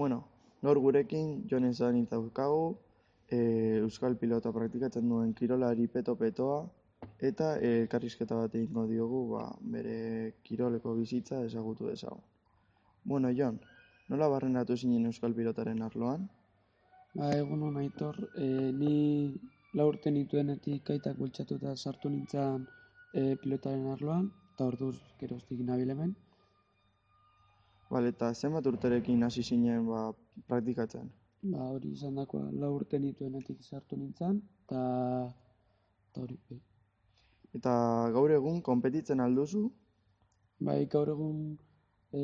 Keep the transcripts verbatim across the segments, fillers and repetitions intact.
Bueno, gaur gurekin Jon Ezanitz daukagu, e, euskal pilota praktikatzen duen kirolari peto-petoa, eta e, elkarrizketa bat egingo diogu ba, bere kiroleko bizitza ezagutu dezagun. Bueno, Jon, nola barrenatu zinen euskal pilotaren arloan? Ba, egun hon Aitor, e, ni lau urte nituenetik aitak bultzatuta sartu nintzen e, pilotaren arloan, eta orduz geroztik nabil hemen. Bale, eta zenbat urterekin hasi zinen ba, praktikatzen? Ba, hori izan dakoa, lau urte nituenetik sartu nintzen, eta eta hori, bai. Eta gaur egun konpetitzen alduzu? Bai, gaur egun e,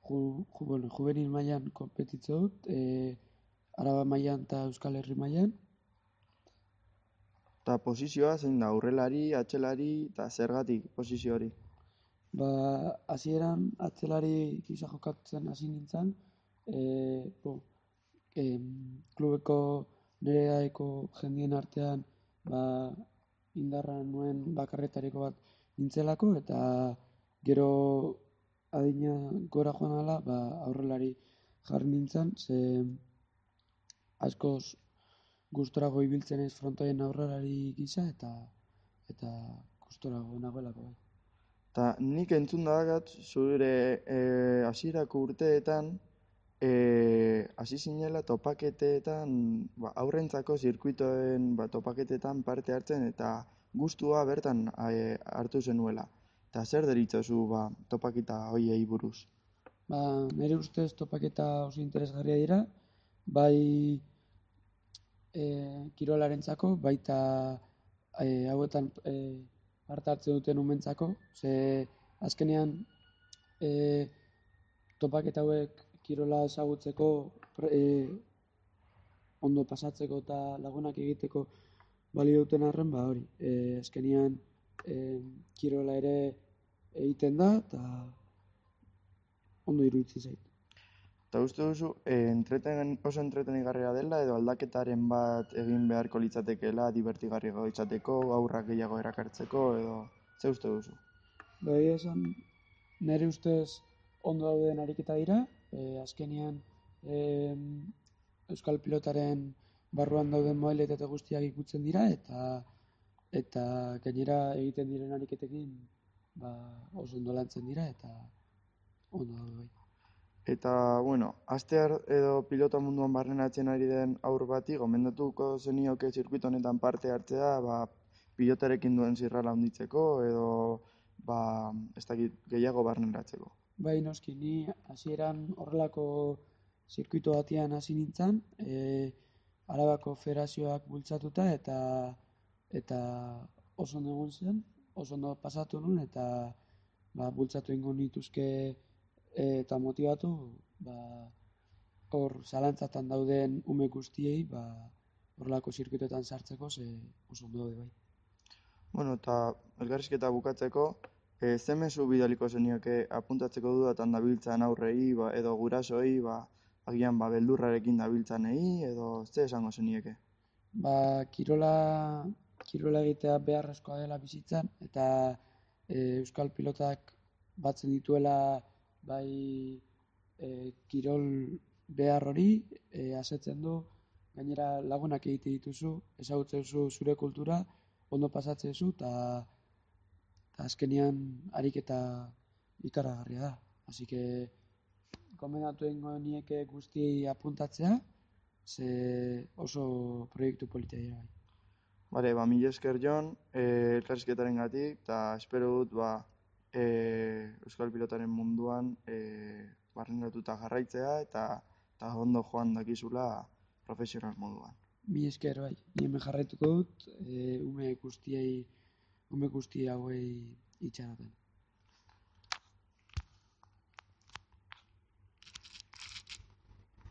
ju, ju, bueno, juvenil mailan konpetitze dut, e, Araba mailan eta Euskal Herri mailan. Eta posizioa zein da, aurrelari, atzelari, eta zergatik posizio hori? Ba, hasieran atzelari gisa jokatzen hasi nintzen, e, bo, em, klubeko nire aeko jendien artean ba, indarra nuen bakarretariko bat nintzelako, eta gero adina gora joan ala, ba, aurrelari jarri nintzen, ze askoz gustorago ibiltzen ez frontoien aurrelari gisa, eta eta gustorago nagoelako bai. Eta nik entzun dakat zure e, hasierako urteetan e, hasi zinela topaketeetan, ba, aurrentzako zirkuitoen ba, topaketetan parte hartzen eta gustua bertan e, hartu zenuela. Eta zer deritzozu ba, topaketa hoiei buruz? Ba, nire ustez topaketa oso interesgarria dira, bai e, kirolarentzako, baita e, hauetan e, parte hartzen duten umentzako, ze azkenean e, topaketa hauek kirola ezagutzeko, e, ondo pasatzeko eta lagunak egiteko balio duten arren, ba hori, e, azkenean e, kirola ere egiten da, eta ondo iruditzen zait. Eta uste duzu e, entreten, oso entretenigarria dela edo aldaketaren bat egin beharko litzatekeela divertigarria izateko, aurrak gehiago erakartzeko edo ze uste duzu? Ba, egia esan, nire ustez ondo dauden ariketa dira, e, azkenean e, euskal pilotaren barruan dauden modalitate guztiak ikutzen dira, eta eta gainera egiten diren ariketekin ba, oso ondo lantzen dira, eta ondo daude bai. Eta, bueno, astear edo pilota munduan barrenatzen ari den aur bati, gomendatuko zenioke zirkuito honetan parte hartzea, ba, pilotarekin duen zirrara handitzeko edo ba, ez dakit gehiago barneratzeko. Bai, noski, ni hasieran horrelako zirkuito batean hasi nintzen, e, Arabako federazioak bultzatuta, eta eta oso ondo egon zen, oso ondo pasatu nuen, eta ba, bultzatu ingo nituzke e, eta motibatu, ba, hor zalantzatan dauden ume guztiei, ba, horrelako zirkuitoetan sartzeko, ze oso ondo daude bai. Bueno, eta elkarrizketa bukatzeko, e, ze mezu bidaliko zenioke apuntatzeko dudatan dabiltzan aurrei ba, edo gurasoei, ba, agian ba, beldurrarekin dabiltzanei edo ze esango zenieke? Ba, kirola, kirola egitea beharrezkoa dela bizitzan, eta e, euskal pilotak batzen dituela bai e, kirol behar hori, e, asetzen du, gainera lagunak egite dituzu, ezagutzen duzu zure kultura, ondo pasatzen duzu, eta azkenean ariketa ikaragarria da. Así que gomendatu egingo nieke guztiei apuntatzea, ze oso proiektu polita dira bai. Bale, ba, mila esker Jon, eh, elkarrizketaren gatik, eta espero dut, ba, eh, euskal pilotaren munduan eh, barrenatuta jarraitzea, eta, eta ondo joan dakizula profesional moduan. Mi esker bai, ni hemen jarraituko dut, e, ume guztiei, ume guzti hauei itxaroten.